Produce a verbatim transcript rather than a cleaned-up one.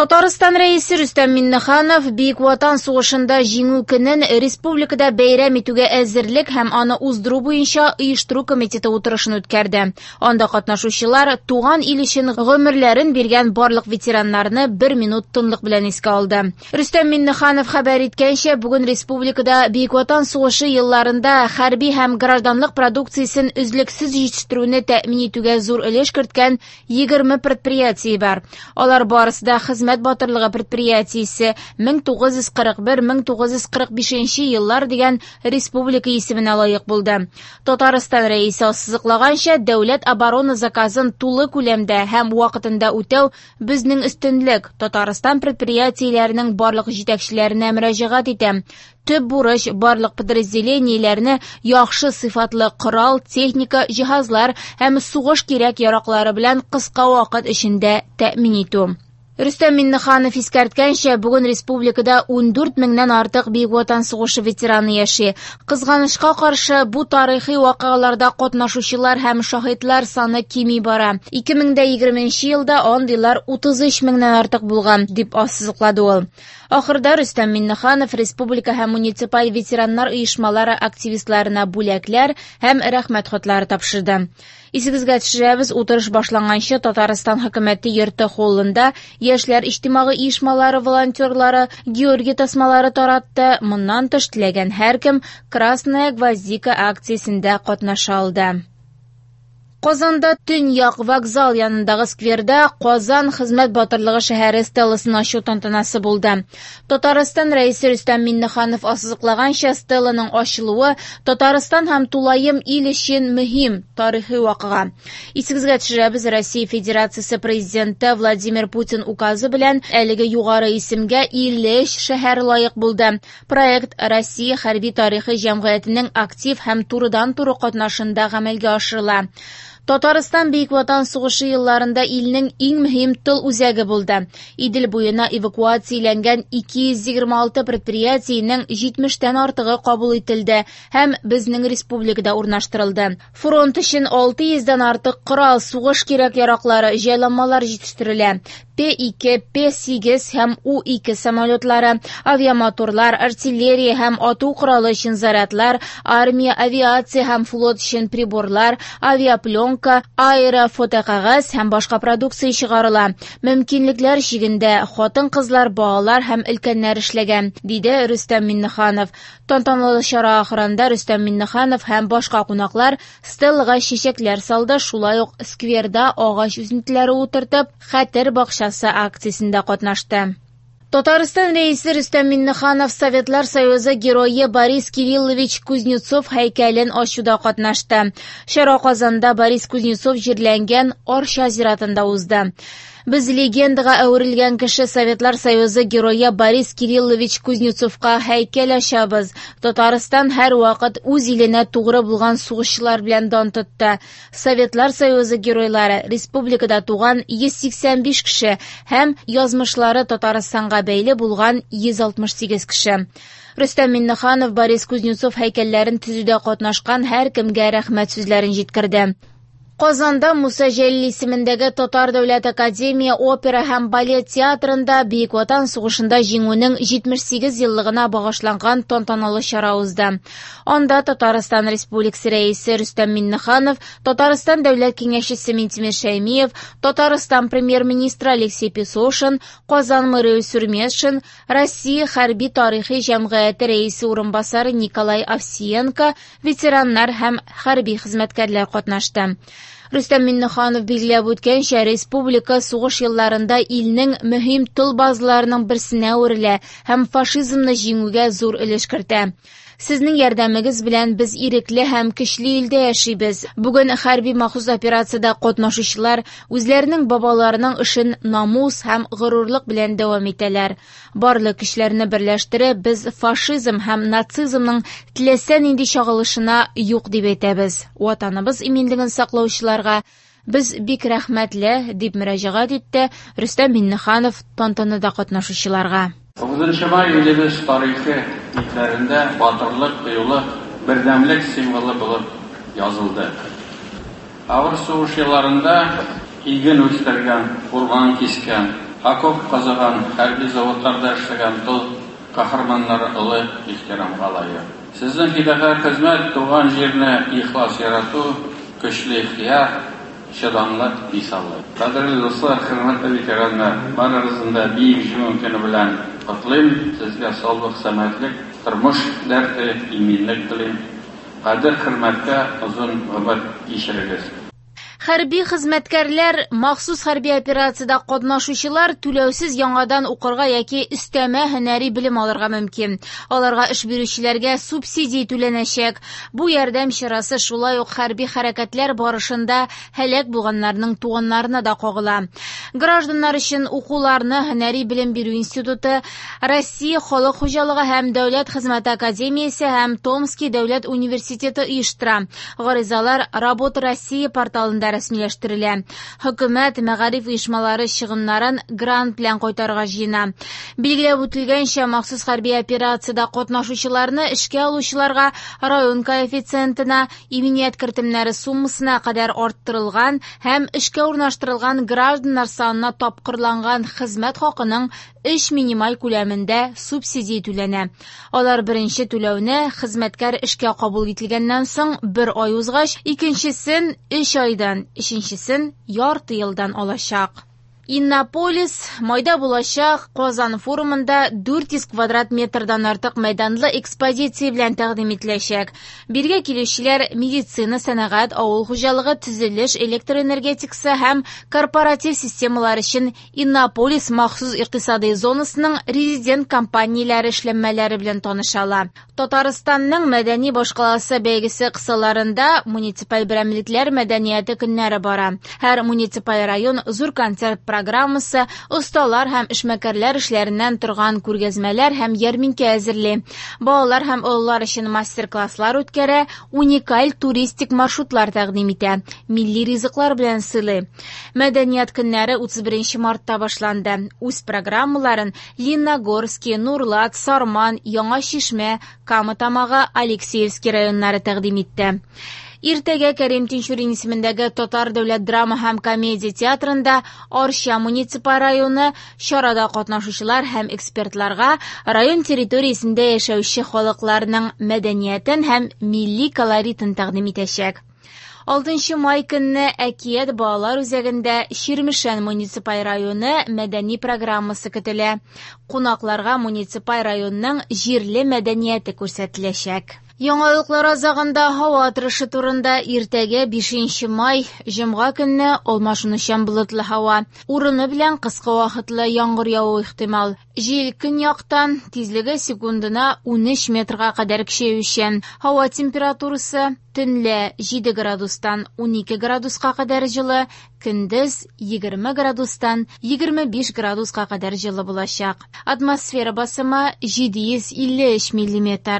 Татарстан Рәисе Рөстәм Миңнеханов Бөек Ватан сугышында Җиңү көнен республикада бәйрәм итүгә әзерлек һәм аны уздыру буенча оештыру комитеты утырышын үткәрде. Анда катнашучылар туган ил өчен гомерләрен биргән барлык ветераннарны бер минут тынлык белән искә алды. Рөстәм Миңнеханов хәбәр иткәнчә, бүген республикада Бөек Ватан сугышы елларында хәрби һәм гражданлык продукциясен өзлексез җитештерүне тәэмин итүгә зур өлеш керткән егерме предприятие бар. Алар барысы да хезмәт батырлыгы предприятиесе мең тугыз йөз кырык бер мең тугыз йөз кырык бишенче еллар дигән республика исеменә лаек булды. Татарстан Рәисе ассызыклаганча, дәүләт оборона заказын тулы күләмдә һәм вакытында үтәү безнең өстенлек. Татарстан предприятиеләренең барлык җитәкчеләренә мөрәҗәгать итәм. Төп бурыч барлык подразделениеләрне яхшы сыйфатлы корал, техника, җиһазлар һәм сугыш кирәк-яраклары белән кыска вакыт эчендә тәэмин итү. Рөстәм Миңнеханов искәрткәнчә, бүген республикада ундүрт меңнән артык Бөек Ватан сугышы ветераны яши. Кызганычка каршы, бу тарихи вакыйгаларда катнашучылар һәм шаһитлар саны кими бара. Ике мең дә егерменче елда андыйлар утыз өч меңнән артык булган, дип ассызыклады ул. Ахырда Рөстәм Миңнеханов республика һәм муниципаль ветераннар оешмалары активистларына бүләкләр һәм рәхмәт хатлары тапшырды. Исегезгә төшерәбез, утырыш башланганчы Татарстан хөкүмәте йорты холлында яшьләр иҗтимагый оешмалары волонтерлары Георгий тасмалары таратты. Моннан тыш теләгән һәркем Красная гвоздика акциясендә катнаша алды. Казанда Төньяк вокзал янындагы скверда Казан хезмәт батырлыгы шәһәре стеласын ачу тантанасы булды. Татарстан Рәисе Рөстәм Миңнеханов ассызыклаганча, стеланың ачылуы Татарстан һәм тулаем ил өчен мөһим тарихи вакыйга. Исегезгә төшерәбез, Россия Федерациясе Президенты Владимир Путин указы белән әлеге югары исемгә илле өч шәһәр лаек булды. Проект Россия хәрби тарихы җәмгыятенең актив һәм турыдан-туры катнашында гамәлгә ашырыла. Татарстан Бөек Ватан сугышы елларында илнең иң мөһим тыл үзәге булды. Идел буена эвакуацияләнгән ике йөз егерме алты предприятиенең җитмештән артыгы кабул ителде һәм безнең республикада урнаштырылды. Фронт өчен алты йөздән артык корал, сугыш кирәк-яраклары, җайланмалар җитештерелә. П ике, П сигез һәм У ике самолетлары, авиамоторлар, артиллерия һәм ату коралы өчен зарядлар, армия, авиация һәм флот өчен приборлар, авиапленка, аэрофотокәгазь һәм башка продукция чыгарыла. Мөмкинлекләр чигендә хатын-кызлар, балалар һәм өлкәннәр эшләгән, диде Рөстәм Миңнеханов. Тантаналы чара ахырында Рөстәм Миңнеханов һәм башка кунаклар стелага чәчәкләр салды, шулай ук скверда агач үсентеләре утыртып, хәтер бакчасы акциясендә катнашты. Татарстан Рәисе Рөстәм Миңнеханов Советлар Союзы герое Борис Кириллович Кузнецов һәйкәлен ачуда катнашты. Чара Казанда Борис Кузнецов җирләнгән Арча зиратында узды. Без легендага әверелгән кеше Советлар Союзы герое Борис Кириллович Кузнецовка һәйкәл ачабыз. Татарстан һәр вакыт үз иленә тугры булган сугышчылар белән дан тотты. Советлар Союзы геройлары республикада туган йөз сиксән биш кеше һәм язмышлары Татарстанга бәйле булган йөз алтмыш сигез кеше. Рөстәм Миңнеханов Борис Кузнецов һәйкәлләрен төзүдә катнашкан һәркемгә рәхмәт сүзләрен җиткерде. Казанда Муса Җәлил исемендәге Татар дәүләт академия опера һәм балет театрында Бөек Ватан сугышында җиңүнең җитмеш сигез еллыгына багышланган тантаналы чара узды. Анда Татарстан Республикасы Рәисе Рөстәм Миңнеханов, Татарстан Дәүләт Киңәшчесе Минтимер Шәймиев, Татарстан Премьер-министры Алексей Песошин, Казан мэры Илсур Метшин, Россия хәрби тарихи җәмгыяте рәисе урынбасары Николай Овсиенко, ветераннар һәм хәрби хезмәткәрләр катнашты. Рөстәм Миңнеханов билгеләп үткәнчә, республика сугыш елларында илнең мөһим тыл базаларының берсенә әверелә һәм фашизмны җиңүгә зур өлеш кертә. Сезнең ярдәмегез белән без ирекле һәм көчле илдә яшибез. Бүген хәрби махсус операциядә катнашучылар үзләренең бабаларының эшен намус һәм горурлык белән дәвам итәләр. Барлык көчләрне берләштереп, без фашизм һәм нацизмның теләсә нинди чагылышына юк дип әйтәбез. Ватаныбыз иминлеген саклаучыларга без бик рәхмәтле, дип мөрәҗәгать итте Рөстәм Миңнеханов тантанада катнашучыларга. Тугызынчы май илебез тарихы битләрендә батырлык, кыюлык, бердәмлек символы булып язылды. Авыр сугыш елларында иген үстергән, урман кискән, Окоп казыган, хәрби заводларда эшләгән тыл каһарманнары олы ихтирамга лаек. Сезнең фидакарь хезмәт, туган җирне ихлас ярату, көчле ихтыяр, чыдамлык мисалы. Кадерле дуслар, хөрмәтле ветераннар, барыгызны да Бөек Җиңү көне белән котлыйм. Сезгә саулык, сәламәтлек, тормыш дәрте, иминлек телим. Кадер-хөрмәткә озын гомер кичерегез. Хәрби хезмәткәрләр, махсус хәрби операциядә катнашучылар түләүсез яңадан укырга яки өстәмә һөнәри белем алырга мөмкин. Аларга эш бирүчеләргә субсидия түләнәчәк. Бу ярдәм чарасы шулай ук хәрби хәрәкәтләр барышында һәлак булганнарның туганнарына да кагыла. Гражданнар өчен укуларны Һөнәри белем бирү институты, Россия халык хуҗалыгы һәм дәүләт хезмәте академиясе һәм Томский дәүләт университеты оештыра. Гаризалар Работа России порталында рәсмиләштерелә. Хөкүмәт мәгариф оешмалары чыгымнарын грант белән кайтарырга җыена. Билгеләп үтелгәнчә, махсус хәрби операциядә катнашучыларны эшкә алучыларга район коэффициентына, иминият кертемнәре суммасына кадәр арттырылган һәм эшкә урнаштырылган гражданнар санына тапкырланган хезмәт хакының өч минималь күләмендә субсидия түләнә. Алар беренче түләүне хезмәткәр эшкә кабул ителгәннән соң бер ай узгач, икенчесен өч айдан, өченчесен ярты елдан алачак. Иннополис майда булачак Казан форумында дүрт йөз квадрат метрдан артык мәйданлы экспозиция белән тәкъдим ителәчәк. Биргә килүчеләр медицина, сәнәгать, авыл хуҗалыгы, төзелеш, электр энергетикасы һәм корпоратив системалар өчен Иннополис махсус икътисади зонасының резидент компанияләре эшләнмәләре белән таныша ала. Татарстанның мәдәни башкаласы бәйгесе кысаларында муниципаль берәмлекләр мәдәнияте көннәре бара. Һәр муниципаль район зур концерт программасы, осталар һәм эшмәкәрләр эшләреннән торган күргәзмәләр һәм ярминкә әзерли. Балалар һәм олылар өчен мастер-класслар үткәрә, уникаль туристик маршрутлар тәкъдим итә, милли ризыклар белән сыйлый. Мәдәният көннәре утыз беренче мартта башланды. Үз программаларын Лениногорский, Нурлат, Сарман, Яңа Чишмә, Кама Тамагы, Алексеевский районнары тәкъдим итте. Иртәгә Кәрим Тинчурин исемендәге Татар дәүләт драма һәм комедия театрында Арча муниципаль районы чарада катнашучылар һәм экспертларга район территориясендә яшәүче халыкларның мәдәниятен һәм милли колоритын тәкъдим итәчәк. Алтынчы май көнне Әкият балалар үзәгендә Чирмешән муниципаль районы мәдәни программасы көтелә. Кунакларга муниципаль районның җирле мәдәнияте күрсәтеләчәк. Яңалыклар азагында һава торышы турында иртәгә бишенче май җомга көнне алмашынучан болытлы һава. Урыны белән кыска вакытлы яңгыр явуы ихтимал. Җил көньяктан, тизлеге секундына унөч метрга кадәр көчәючән. Һава температурасы төнлә җиде градустан унике градуска кадәр җылы, көндез егерме градустан егерме биш градуска кадәр җылы булачак. Атмосфера басымы җиде йөз илле өч миллиметр.